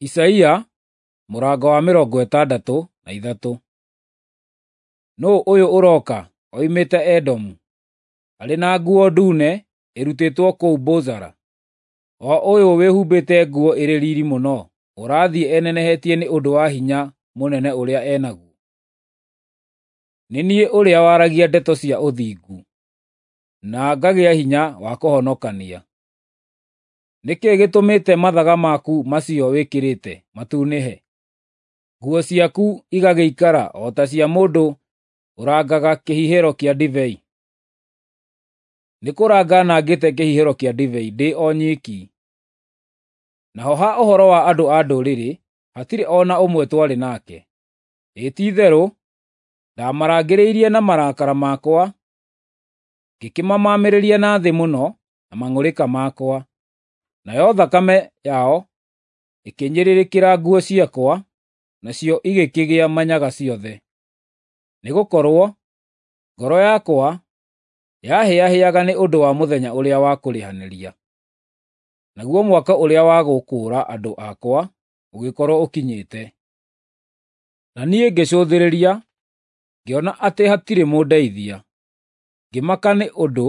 Isaia mũrango wa 63. Nũũ ũyũ ũroka oimĩte Edomu, arĩ na nguo ndune ĩrutĩtwo kũu Bozara? O ũyũ wĩhumbĩte nguo ĩrĩ riiri mũno, ũrathiĩ enenehetie nĩ ũndũ wa hinya mũnene ũrĩa e naguo? Nĩ niĩ ũrĩa waragia ndeto cia ũthingu, na ngagĩa hinya wa kũhonokania. Nĩ kĩĩ gĩtũmĩte mathaga maku macio wĩkĩrĩte matunĩhe, nguo ciaku igagĩikara o ta cia mũndũ ũrangaga kĩhihĩro kĩa ndibei? Nĩ kũranga nangĩte kĩhihĩro kĩa ndibei ndĩ o nyiki. Naho ha ũhoro wa andũ a ndũrĩrĩ, hatirĩ o na ũmwe twarĩ nake. Ĩ ti-itherũ ndamarangĩrĩirie na marakara makwa, ngĩkĩmamamĩrĩria na thĩ mũno na mang'ũrĩka makwa, nayo thakame yao ĩkĩnyĩrĩrĩkĩra nguo ciakwa, nacio igĩkĩgĩa manyaga ciothe. Nĩgũkorwo ngoro yakwa yahĩahĩaga nĩ ũndũ wa mũthenya ũrĩa wa kũrĩhanĩria, naguo mwaka ũrĩa wa gũkũũra andũ akwa ũgĩkorwo ũkinyĩte. Na niĩ ngĩcũthĩrĩria, ngĩona atĩ hatirĩ mũndeithia, ngĩmaka nĩ ũndũ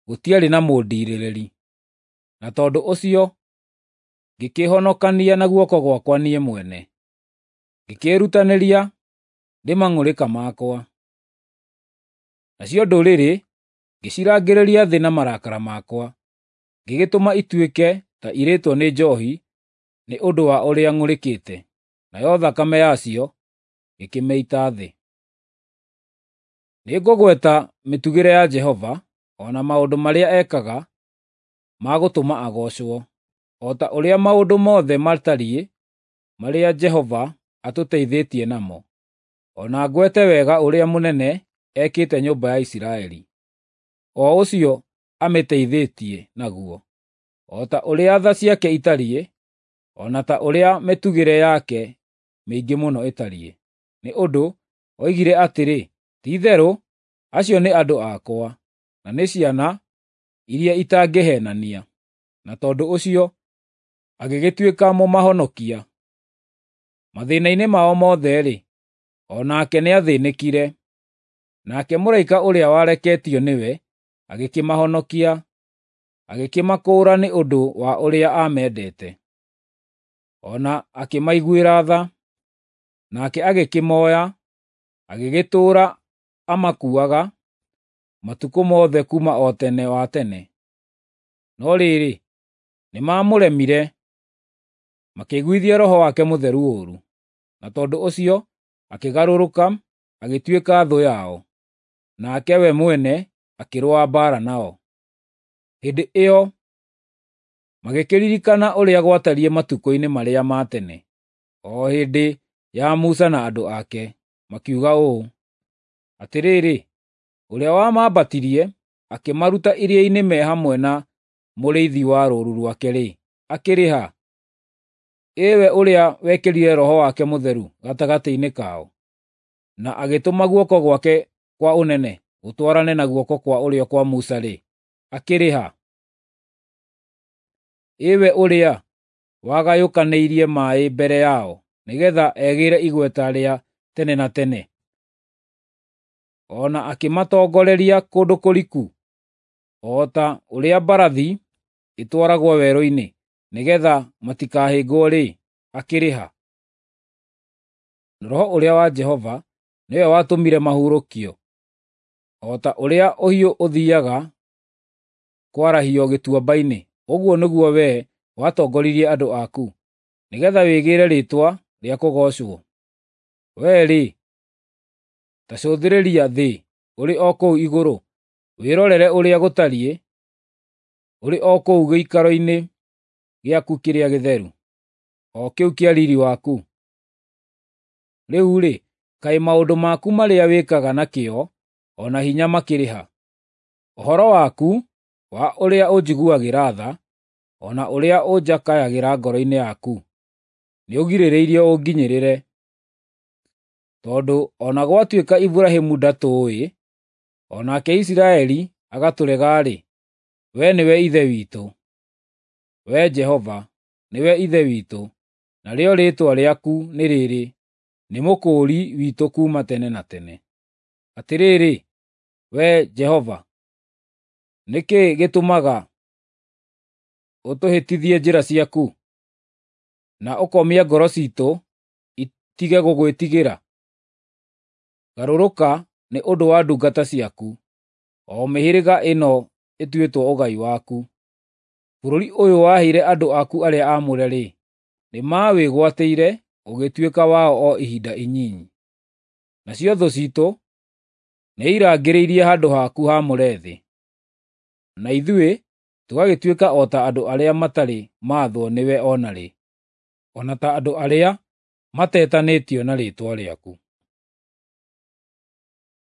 gũtiarĩ na mũndiirĩrĩri, na tondũ ũcio ngĩkĩĩhonokania na guoko gwakwa niĩ mwene, ngĩkĩĩrutanĩria ndĩ mang'ũrĩka makwa. Nacio ndũrĩrĩ ngĩcirangĩrĩria thĩ na marakara makwa, ngĩgĩtũma ituĩke ta irĩtwo nĩ njoohi nĩ ũndũ wa ũrĩa ng'ũrĩkĩte, nayo thakame yacio ngĩkĩmĩita thĩ. Nĩngũgweta mĩtugĩre ya Jehova, o na maũndũ marĩa ekaga ma gũtũma agoocwo, o ta ũrĩa maũndũ mothe matariĩ marĩa Jehova atũteithĩtie namo, o na ngwete wega ũrĩa mũnene ekĩte nyũmba ya Isiraeli, o ũcio amĩteithĩtie naguo, o ta ũrĩa tha ciake itariĩ, o na ta ũrĩa mĩtugĩre yake mĩingĩ mũno ĩtariĩ. Nĩ ũndũ oigire atĩrĩ, “Ti-itherũ acio nĩ andũ akwa, na nĩ ciana iria itangĩheenania,” na tondũ ũcio agĩgĩtuĩka mũmahonokia. Mathĩĩna-inĩ mao mothe-rĩ, o nake nĩathĩĩnĩkire, nake mũraika ũrĩa wareketio nĩwe agĩkĩmahonokia, agĩkĩmakũũra nĩ ũndũ wa ũrĩa aamendete, o na akĩmaiguĩra tha. Nake agĩkĩmooya, agĩgĩtũũra amakuuaga matukũ mothe kuuma o tene wa tene. No rĩrĩ, nĩmamũremire, makĩiguithia Roho wake Mũtheru ũũru, na tondũ ũcio akĩgarũrũka agĩtuĩka thũ yao, nake we mwene akĩrũa mbaara nao. Hĩndĩ ĩyo magĩkĩririkana ũrĩa gwatariĩ matukũ-inĩ marĩa ma tene, o hĩndĩ ya Musa na andũ ake, makiuga ũũ, “Atĩrĩrĩ, ũrĩa wamambatirie akĩmaruta iria-inĩ me hamwe na mũrĩithi wa rũũru rwake-rĩ, akĩrĩ ha? Ĩ we ũrĩa wekĩrire Roho wake Mũtheru gatagatĩ-inĩ kao, na agĩtũma guoko gwake kwa ũnene gũtwarane na guoko kwa ũrĩo kwa Musa-rĩ, akĩrĩ ha? Ĩ we ũrĩa wagayũkanĩirie maaĩ mbere yao nĩgeetha egĩĩre igweta rĩa tene na tene, o na akĩmatongoreria kũndũ kũriku, o ta ũrĩa mbarathi ĩtwaragwo werũ-inĩ nĩgeetha matikahĩngwo-rĩ, akĩrĩ ha?” Roho ũrĩa wa Jehova nĩwe watũmire mahurũkio, o ta ũrĩa ũhiũ ũthiiaga kwarahio gĩtuamba-inĩ, ũguo nĩguo wee watongoririe andũ aku, nĩgeetha wĩgĩĩre rĩĩtwa rĩa kũgoocwo. Wee-rĩ, ta cũthĩrĩria thĩ ũrĩ o kũu igũrũ, wĩrorere ũrĩa gũtariĩ ũrĩ o kũu gĩikaro-inĩ gĩaku kĩrĩa gĩtheru, o kĩu kĩa riiri waku. Rĩu-rĩ, kaĩ maũndũ maku marĩa wĩkaga na kĩyo o na hinya makĩrĩ ha? Ũhoro waku wa ũrĩa ũnjiguagĩra tha, o na ũrĩa ũnjakayagĩra ngoro-inĩ yaku, nĩũgirĩrĩirie ũnginyĩrĩre. Tondũ o na gwatuĩka Iburahĩmu ndatũũĩ, o nake Isiraeli agatũrega-rĩ, wee nĩwe Ithe witũ. Wee Jehova, nĩwe Ithe witũ. Narĩo rĩĩtwa rĩaku nĩ rĩrĩ, nĩ Mũkũũri witũ kuuma tene na tene. Atĩrĩrĩ, Wee Jehova, nĩ kĩĩ gĩtũmaga ũtũhĩtithie njĩra ciaku, na ũkomia ngoro ciitũ itige gũgwĩtigĩra? Garũrũka nĩ ũndũ wa ndungata ciaku, o mĩhĩrĩga ĩno ĩtuĩtwo ũgai waku. Bũrũri ũyũ waheire andũ aku arĩa aamũre-rĩ, nĩmawĩgwatĩire ũgĩtuĩka wao o ihinda inyinyi. Nacio thũ ciitũ nĩirangĩrĩirie handũ haku haamũre thĩ, na ithuĩ tũgagĩtuĩka o ta andũ arĩa matarĩ maathwo nĩwe o na rĩ, o na ta andũ arĩa matetanĩtio na rĩĩtwa rĩaku.